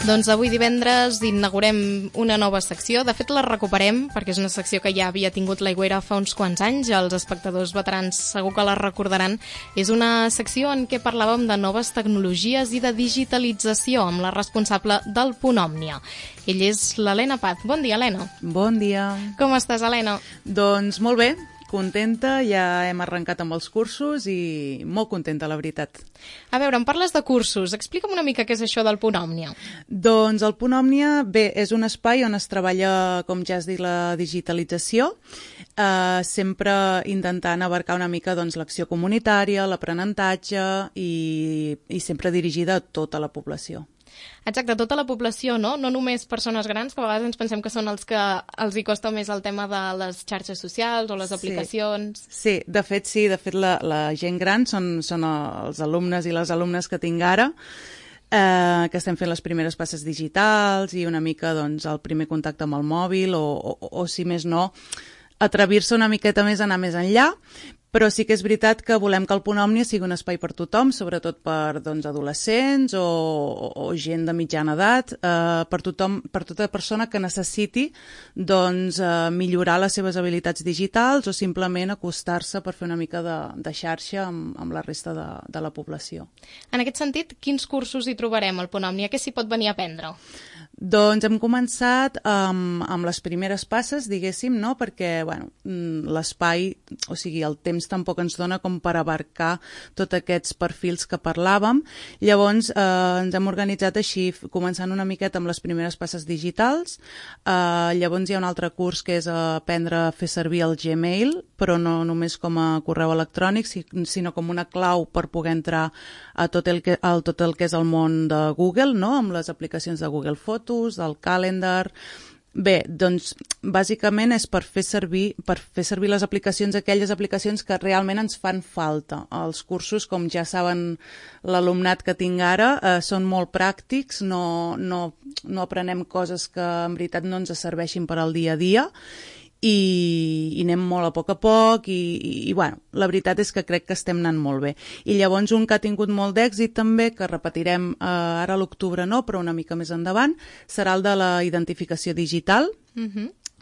Doncs avui divendres inaugurem una nova secció. De fet, la recuperem perquè és una secció que ja havia tingut l'Aigüera fa uns quants anys. Els espectadors veterans segur que la recordaran. És una secció en què parlàvem de noves tecnologies i de digitalització amb la responsable del Punt Òmnia. Ell és l'Helena Paz. Bon dia, Helena. Bon dia. Com estàs, Helena? Doncs molt bé, contenta, ja hem arrencat amb els cursos i molt contenta, la veritat. A veure, em parles de cursos. Explica'm una mica què és això del Punt Òmnia. Doncs el Punt Òmnia, bé, és un espai on es treballa, com ja has dit, la digitalització, sempre intentant abarcar una mica doncs, l'acció comunitària, l'aprenentatge i sempre dirigida a tota la població. Exacte, tota la població, no? No només persones grans, que a vegades ens pensem que són els que els hi costa més el tema de les xarxes socials o les aplicacions. Sí, de fet la gent gran són els alumnes i les alumnes que tinc ara, que estem fent les primeres passes digitals i una mica doncs, el primer contacte amb el mòbil o si més no, atrevir-se una miqueta més, anar més enllà. Però sí que és veritat que volem que el Punt Òmnia sigui un espai per tothom, sobretot per adolescents o gent de mitjana edat, per tothom, per tota persona que necessiti millorar les seves habilitats digitals o simplement acostar-se per fer una mica de xarxa amb la resta de la població. En aquest sentit, quins cursos hi trobarem al Punt Òmnia? Què s'hi pot venir a aprendre? Doncs hem començat amb les primeres passes, diguéssim, no? Perquè l'espai, o sigui, el temps tampoc ens dona com per abarcar tots aquests perfils que parlàvem. Llavors ens hem organitzat així, començant una miqueta amb les primeres passes digitals. Llavors hi ha un altre curs que és aprendre a fer servir el Gmail, però no només com a correu electrònic, sinó com una clau per poder entrar a tot el que és el món de Google, no? Amb les aplicacions de Google Fotos, del Calendar. Bé, doncs, bàsicament és per fer servir les aplicacions, aquelles aplicacions que realment ens fan falta. Els cursos, com ja saben l'alumnat que tinc ara, són molt pràctics, no aprenem coses que en veritat no ens serveixin per al dia a dia, i anem molt a poc i la veritat és que crec que estem anant molt bé. I llavors un que ha tingut molt d'èxit també, que repetirem ara a l'octubre no, però una mica més endavant, serà el de la identificació digital,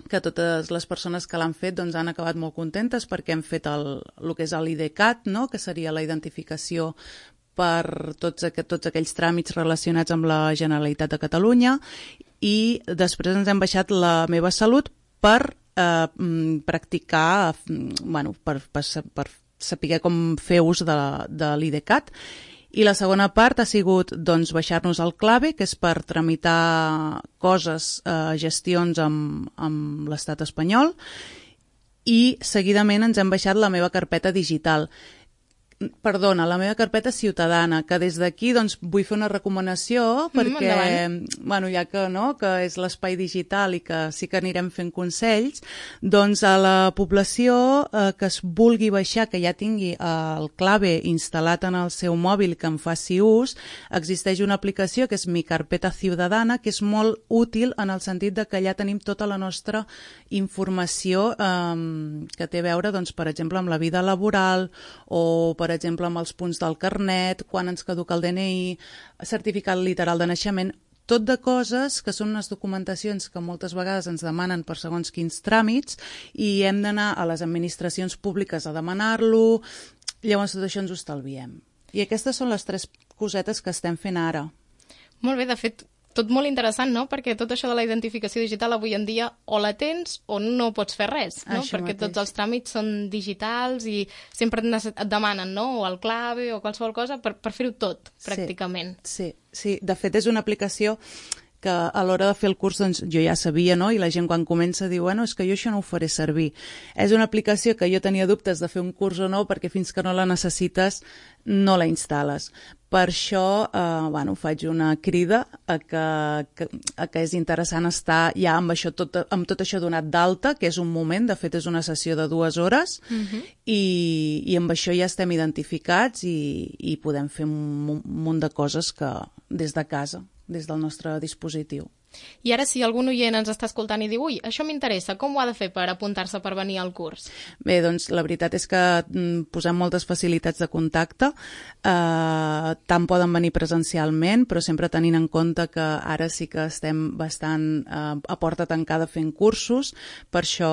que totes les persones que l'han fet doncs, han acabat molt contentes perquè hem fet el que és l'IDCAT, no? Que seria la identificació per tots aquells tràmits relacionats amb la Generalitat de Catalunya, i després ens hem baixat la Meva Salut per practicar, per saber com fer ús de l'IDCAT. I la segona part ha sigut baixar-nos el Clave, que és per tramitar coses, gestions amb l'estat espanyol, i seguidament ens hem baixat la meva carpeta digital. Perdona, la meva carpeta ciutadana, que des d'aquí vull fer una recomanació perquè, ja que és l'espai digital i que sí que anirem fent consells, doncs a la població que es vulgui baixar, que ja tingui el Clave instal·lat en el seu mòbil, que en faci ús, existeix una aplicació que és Mi Carpeta Ciudadana, que és molt útil en el sentit de que allà tenim tota la nostra informació que té a veure, per exemple, amb la vida laboral o, per exemple, amb els punts del carnet, quan ens caduca el DNI, certificat literal de naixement, tot de coses que són unes documentacions que moltes vegades ens demanen per segons quins tràmits i hem d'anar a les administracions públiques a demanar-lo, llavors tot això ens ho estalviem. I aquestes són les 3 cosetes que estem fent ara. Molt bé, de fet, tot molt interessant, no? Perquè tot això de la identificació digital avui en dia o la tens o no pots fer res, no? Perquè tots els tràmits són digitals i sempre et demanen, no? O el Clave o qualsevol cosa per fer-ho tot, pràcticament. Sí. De fet, és una aplicació que a l'hora de fer el curs jo ja sabia, no? I la gent quan comença diu, és que jo això no ho faré servir. És una aplicació que jo tenia dubtes de fer un curs o no, perquè fins que no la necessites no la instal·les. Per això faig una crida a que és interessant estar ja amb tot això donat d'alta, que és un moment, de fet és una sessió de 2 hores, i amb això ja estem identificats i podem fer un munt de coses des de casa, des del nostre dispositiu. I ara, si algun oient ens està escoltant i diu ui, això m'interessa, com ho ha de fer per apuntar-se per venir al curs? Bé, doncs la veritat és que posem moltes facilitats de contacte, tant poden venir presencialment, però sempre tenint en compte que ara sí que estem bastant a porta tancada fent cursos. Per això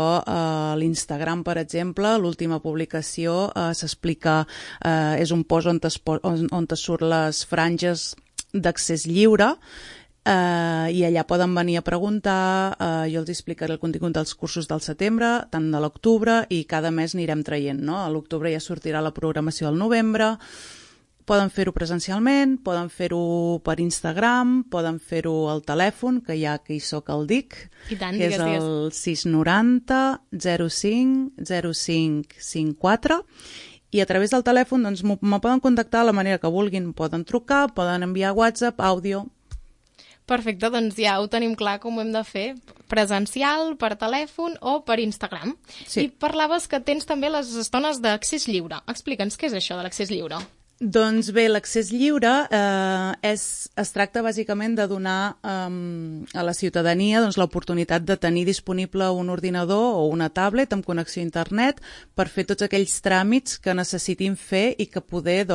l'Instagram, per exemple, l'última publicació s'explica, és un post on te surt les franges d'accés lliure, i allà poden venir a preguntar, jo els explicaré el contingut dels cursos del setembre, tant de l'octubre, i cada mes anirem traient, no? A l'octubre ja sortirà la programació del novembre. Poden fer-ho presencialment, poden fer-ho per Instagram, poden fer-ho al telèfon, que ja que hi soc el dic, tant, que és el 690 05 05 54, i a través del telèfon doncs, me poden contactar de la manera que vulguin, poden trucar, poden enviar WhatsApp, àudio. Perfecte, doncs ja ho tenim clar com ho hem de fer, presencial, per telèfon o per Instagram. Sí. I parlaves que tens també les estones d'accés lliure. Explica'ns què és això de l'accés lliure. Doncs bé, l'accés lliure es tracta bàsicament de donar a la ciutadania doncs, l'oportunitat de tenir disponible un ordinador o una tablet amb connexió a internet per fer tots aquells tràmits que necessitin fer i que poder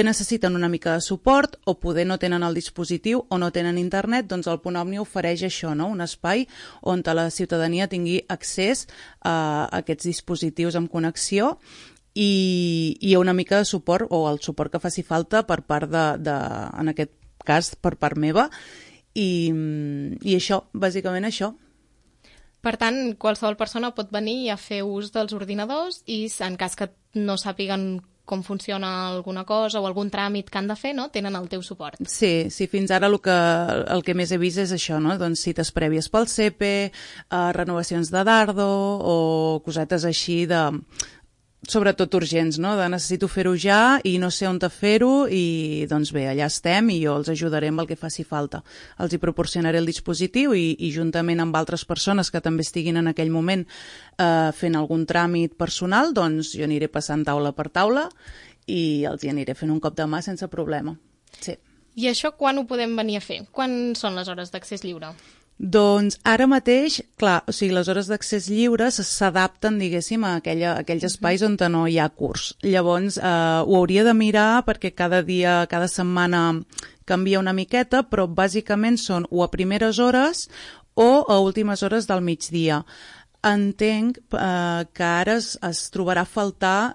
necessiten una mica de suport o poder no tenen el dispositiu o no tenen internet, doncs el Punt Òmnia ofereix això, no? Un espai on la ciutadania tingui accés a aquests dispositius amb connexió i una mica de suport o el suport que faci falta per part en aquest cas per part meva i això, bàsicament això. Per tant, qualsevol persona pot venir a fer ús dels ordinadors i en cas que no sàpiguen com funciona alguna cosa o algun tràmit que han de fer, no? Tenen el teu suport. Sí, fins ara el que més he vist és això, no? Doncs cites prèvies pel CEPE, renovacions de Dardo o cosetes així sobretot urgents, no? De necessito fer-ho ja i no sé on fer-ho i doncs bé, allà estem i jo els ajudaré amb el que faci falta. Els hi proporcionaré el dispositiu i juntament amb altres persones que també estiguin en aquell moment fent algun tràmit personal, doncs jo aniré passant taula per taula i els hi aniré fent un cop de mà sense problema. Sí. I això quan ho podem venir a fer? Quan són les hores d'accés lliure? Doncs ara mateix, clar, o sigui, les hores d'accés lliure s'adapten, diguéssim, a aquells espais on no hi ha curs. Llavors, ho hauria de mirar perquè cada dia, cada setmana canvia una miqueta, però bàsicament són o a primeres hores o a últimes hores del migdia. Entenc que ara es trobarà a faltar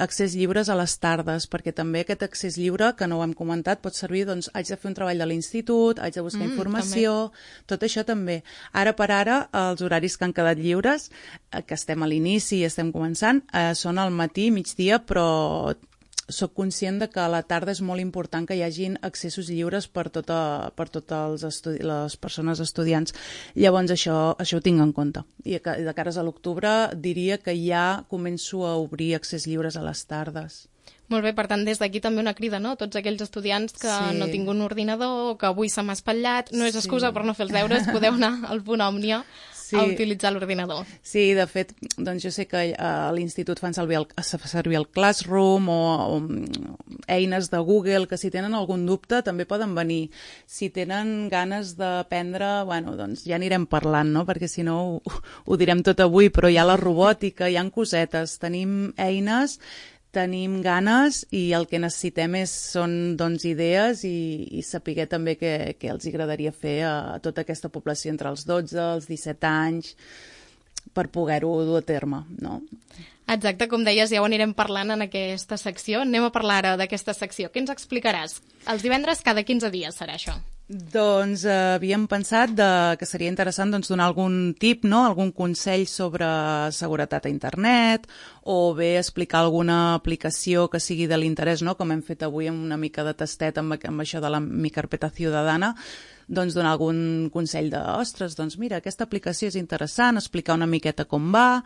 accés lliures a les tardes, perquè també aquest accés lliure, que no ho hem comentat, pot servir, doncs, haig de fer un treball de l'institut, haig de buscar informació, també. Tot això també. Ara per ara, els horaris que han quedat lliures, que estem a l'inici i estem començant, són al matí, migdia, però soc conscient de que a la tarda és molt important que hi hagin accessos lliures per totes les persones estudiants. Llavors això ho tinc en compte. I de cares a l'octubre diria que ja començo a obrir accés lliures a les tardes. Molt bé, per tant, des d'aquí també una crida, no? Tots aquells estudiants que no tinguin un ordinador o que avui se m'ha espatllat, no és excusa per no fer els deures, podeu anar al Punt Òmnia a utilitzar l'ordinador. Sí, de fet, doncs jo sé que a l'institut fan servir el Classroom o eines de Google, que si tenen algun dubte també poden venir. Si tenen ganes d'aprendre, bueno, doncs ja anirem parlant, no? Perquè si no ho direm tot avui, però hi ha la robòtica, hi ha cosetes, tenim eines, tenim ganes i el que necessitem són doncs, idees i saber també què els agradaria fer a tota aquesta població entre els 12 i els 17 anys per poder-ho dur a terme, no? Exacte, com deies, ja ho anirem parlant en aquesta secció. Anem a parlar ara d'aquesta secció. Què ens explicaràs? Els divendres cada 15 dies serà això. Doncs havíem pensat que seria interessant donar algun tip, no? Algun consell sobre seguretat a internet o bé explicar alguna aplicació que sigui de l'interès, no? Com hem fet avui amb una mica de tastet amb això de la Mi Carpeta Ciudadana, doncs donar algun consell ostres, doncs mira, aquesta aplicació és interessant, explicar una miqueta com va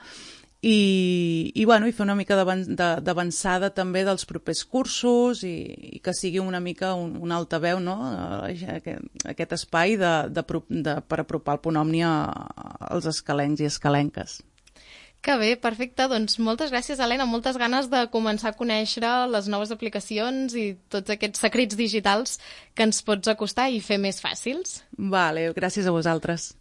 i fer una mica d'avançada també dels propers cursos i que sigui una mica un altaveu, no? Aquest espai per apropar el Punt Òmnia als escalencs i escalenques. Que bé, perfecte. Doncs moltes gràcies, Helena. Moltes ganes de començar a conèixer les noves aplicacions i tots aquests secrets digitals que ens pots acostar i fer més fàcils. Vale, gràcies a vosaltres.